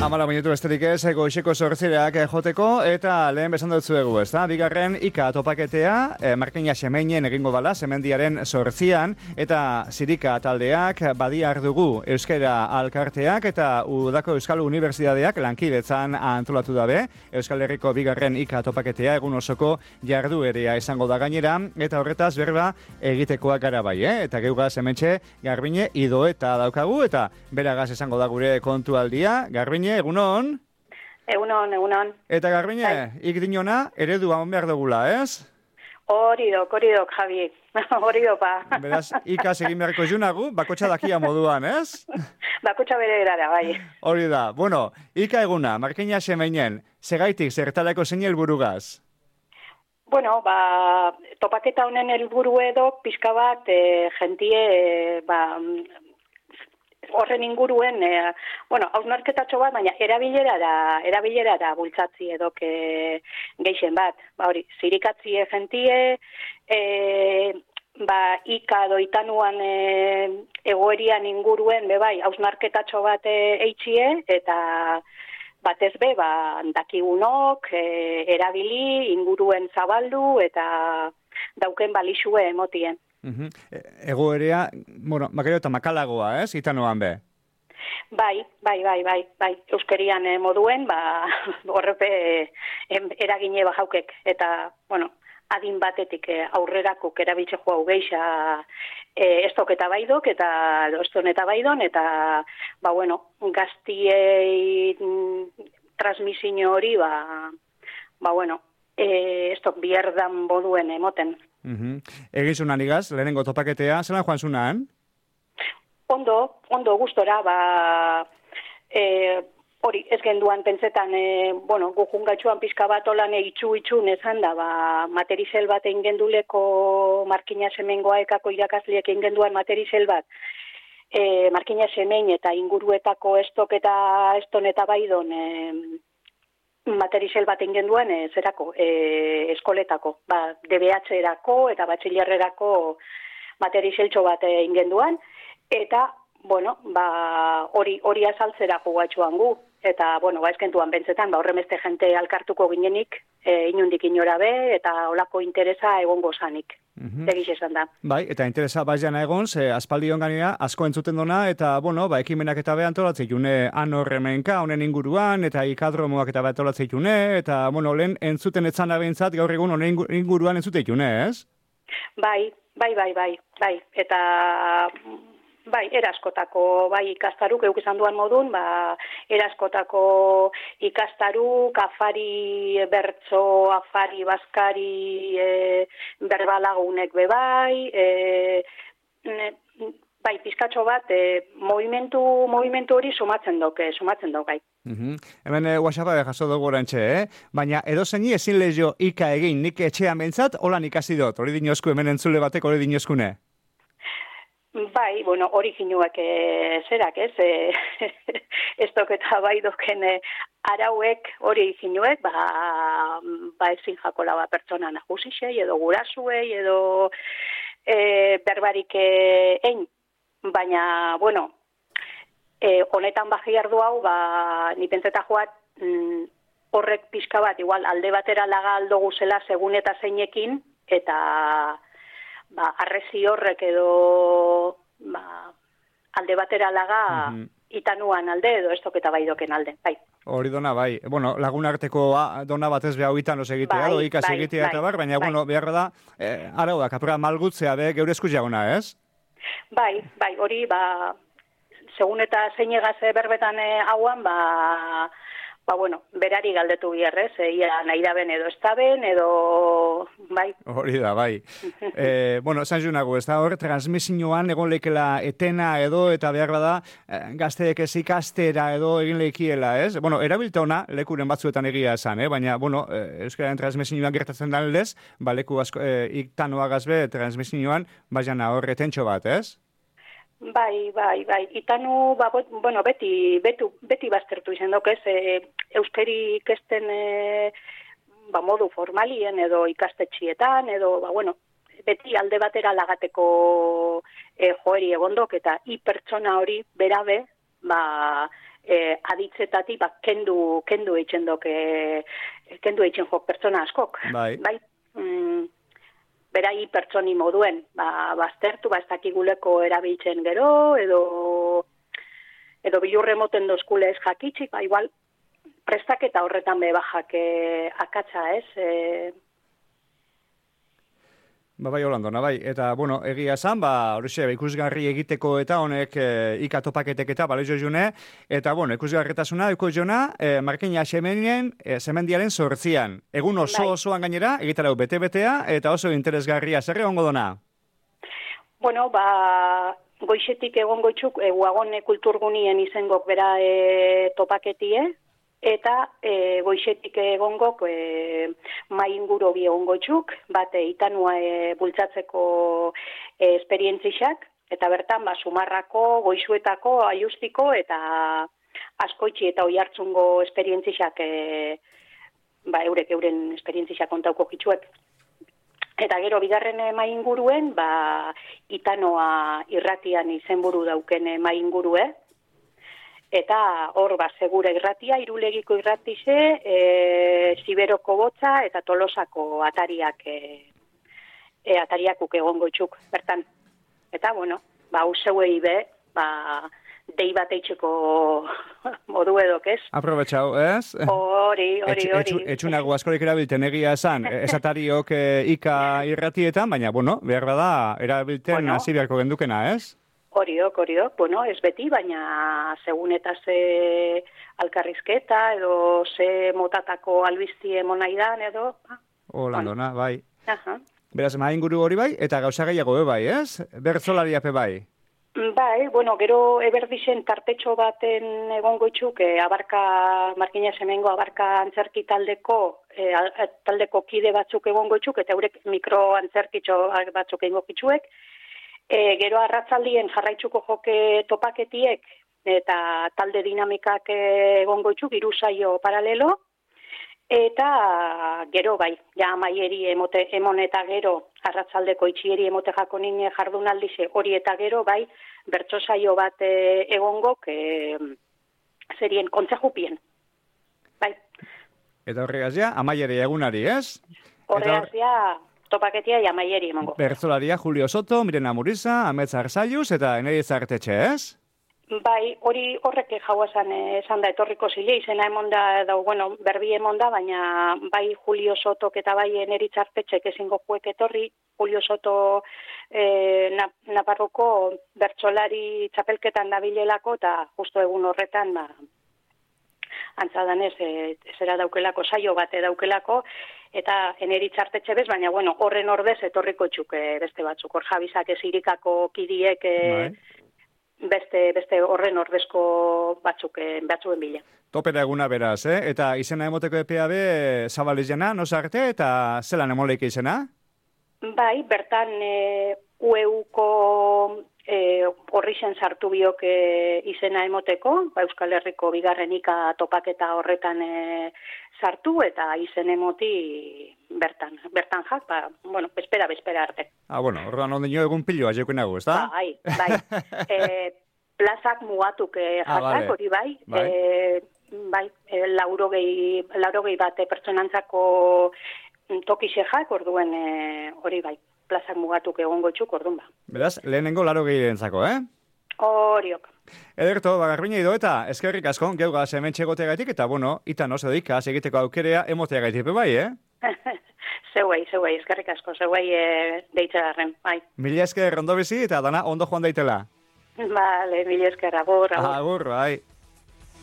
Amala minutu besterik ez, goizeko 8:00 joteko, eta lehen besan dut zuegu, ez da? Bigarren IKA topaketea, Markina Semeinen egingo dala, Semendiaren 8:00, eta Zirika taldeak, Badiar dugu Euskara Alkarteak, eta Udako Euskal Unibertsitateak lankidetzan antolatu dabe, Euskal Herriko bigarren IKA topaketea, egun osoko jarduerea izango da gainera, eta horretaz berba egitekoak gara bai, eta geugaz hementxe Garbine Idoeta daukagu, eta beragaz izango da gure kontualdia. Garbine, egunon? Egunon. Eta Garbine, ikdinona eredua on behar dugula, ez? Hori dok, Javi. Hori dopa. Beraz, ikas egin beharko junagu, bakotxa dakia moduan, ez? Bakotxa bere erara, bai. Hori da. Bueno, ika eguna, Markina Semeinen, segaitik zertalako zein helburugaz? Bueno, topaketa honen helburu edo, pixka bat, jentie, horren inguruen, hausnarketatxo bat, baina erabilerara bultzatzi edok geixen bat. Hori, zirikatzie jentie, ika doitanuan egoerian inguruen, bebai, hausnarketatxo bat eitxie, eta batez dakigunok, erabili, inguruen zabaldu, eta dauken balixue emotien. Egoerea, makero eta makalagoa, ez? Itanoan be? Bai. Euskerian moduen, horrepe eragine bajaukek. Eta, adin batetik aurrerakuk erabiltze joa geixa estok eta baidok, eta eston eta baidon, eta, gaztiei transmisio hori, estok bierdan boduen emoten. Egizunan igaz, lehenengo topaketea, zelan joan zunan? Ondo, gustora, hori ez genduan pentsetan, gujungatxuan pixka bat olan itxun ezan da, materizel bat egin genduleko Markina Semengoa ekako irakasliek egin genduan materizel bat, Markina Semen eta inguruetako estok eta eston eta baidon, materizel bat egin duen eskoletako, DBH-erako eta batxilerrerako materizeltxo bat egin duen, eta, hori azaltzera jugatxuan gu, eta, ezkentuan bentzetan, horremeste jente alkartuko ginenik, inundik inora be, eta olako interesa egongo zanik. Egiz esan da. Bai, eta interesa baiana egon, aspaldi ganera asko entzuten dona, eta, ekimenak eta be antolatzei june anorremenka, honen inguruan, eta ikadromoak eta be antolatzei june, eta, lehen entzuten etzan abeintzat, gaur egun honen inguruan entzutei june, ez? Bai, eta... eraskotako, ikastaruk, euk izan duan modun, eraskotako ikastaruk, afari bertso, afari baskari, berbalagunek bebai, pizkatxo bat, movimentu hori sumatzen dokai. Hemen WhatsAppa jaso dugu orantxe, baina edo zeini ezin lehio ika egin, nik etxean bentsat, holan ikasi dut, hori dinozku, hemen entzule batek hori dinozkune. Bai, hori ginuak zerak, ez? Ez doketa bai doken arauek hori ginuek, ezin jakola pertsona nahusixei, edo gurasuei, edo berbarik egin. Baina, honetan bajiardu hau, ni pentseta joat, horrek pixka bat, igual alde batera laga aldo guzela segun eta zeinekin, eta... arrezi horrek edo alde batera laga itanuan alde edo estoketa baidoken alde, bai. Hori dona, bai. Lagun arteko dona batez behau itanos egitea, ikas egitea eta bar, baina, beharra da, arau da, kapura malgutzea be, geure eskus jagona, ez? Bai, hori, segun eta zeinegaz berbetan hauan, berari galdetu biherrez, ia nahi da ben edo ez da ben, edo, bai. Hori da, bai. Zan junago, ez da hor, transmisioan egon leikela etena edo, eta behar da, gazteek ez ikastera edo egin leikiela, ez? Erabilta ona, lekuren batzuetan egia esan, baina, euskararen transmisioan gertatzen da aldez, leku asko, iktanoagaz be, transmisioan, baiana hor etentxo bat, ez? Bai. Itanu, beti baztertu izan dok, ez? Euskeri ikesten modu formalien edo ikastetxietan, edo, beti alde batera lagateko joeri egondok, eta pertsona hori berabe, aditzetatik kendu eitzen jok pertsona askok. Bai. Berai pertsoni moduen, baztertu, ez dakiguleko erabiltzen gero, edo bilurre moten dozkule ez jakitzik, igual prestaketa horretan bajak akatsa, ez? Bai, Holandona, bai. Eta, bueno, egia esan, horixe, ikusgarri egiteko eta honek ika topaketek eta balezo june, eta, bueno, ikusgarretasuna, jona, Markina semendiaren 8. Egun osoan gainera, egitarau bete-betea, eta oso interesgarria, zer egongo dona? Bueno, goixetik egongo txuk, guagone kulturgunien izengok bera topaketie, eta goixetik egongok mai inguru bi egongo txuk, bate itanua bultzatzeko esperientzixak, eta bertan sumarrako, goixuetako, aiustiko, eta askoitzi eta oihartzungo esperientzixak, euren esperientzixak kontauko gitzuek. Eta gero bigarren mai inguruen, itanoa irratian izenburu dauken mai ingurue, eta hor, segura irratia, Irulegiko irratixe, Siberoko botza eta Tolosako atariak egongo txuk, bertan. Eta, bueno, useuei be, dei bat eitxeko modu edok, ez? Aprobetxau, ez? Hori. Etxunago askorik erabilten egia esan, esatariok ika irratietan, baina, bueno, behar bada, erabilten hasi beharko gendukena, ez? Horiok, bueno, ez beti, baina segun eta ze alkarrizketa edo ze motatako albizti emonaidan edo... Holandona, bai. Aha. Beraz, inguru hori bai, eta gauza gehiago bai, ez? Bertzolariape bai. Bai, bueno, gero eberdixen tartetxo baten egongo itxuk, Markina Semengo abarka antzerki taldeko kide batzuk egongo itxuk, eta eurek mikro antzerkitxo batzuk egongo itxuek, gero arratzaldien jarraitzuko joke topaketiek eta talde dinamikak egongo itxuk, 3 saio paralelo, eta gero maieri emon eta gero arratzaldeko itxieri emote jako nine jardunaldize hori eta gero bertso saio bat egongok zerien kontzejupien. Eta horregaz amaieri egunari, ez? Horregaz topaketia amaieri emongo. Bertzolaria Julio Soto, Mirena Muriza, Amets Arzaiuz eta Eneri Zartetxe, ez? Hori horrek jauazan esan da etorriko zile, izena emonda, berbi emonda, baina Julio Sotok eta Eneri Zartetxek ezingo juek etorri, Julio Soto Naparroko bertsolari txapelketan dabilelako, eta justo egun horretan, antzadanez, zera daukelako, saio bate daukelako, eta Eneri Zartetxe bez, baina horren ordez etorriko txuk beste batzuk, hor Jabizak ezirikako kidiek beste horren ordezko batzuen bila. Topera eguna beraz, Eta izena emoteko epea be zabalizena, nosarte, eta zelan emoleik izena? Bertan UEUko horrixen sartu biok izena emoteko, Euskal Herriko bigarren ika topaketa horretan sartu, eta izen emoti bertan jak, bespera arte. Orduan ondino egun piloa jekunago, ez da? Bai. Plazak mugatuk jatak, hori laurogei bate pertsonantzako tokixejak, orduen hori plazak mugatuk egongo txuk, ordun Beraz, lehenengo 80 entzako, Horiok. Ederto, Garbina ido eta eskerrik asko, geugaz hementxe goteagaitik, eta itan oso dikaz egiteko aukerea emoteagaitik bai, Zeuei, eskerrik asko, deitzegarren, bai. Mila esker ondo bizi eta dana ondo joan daitela. Vale, mila esker, agur. Agur, bai.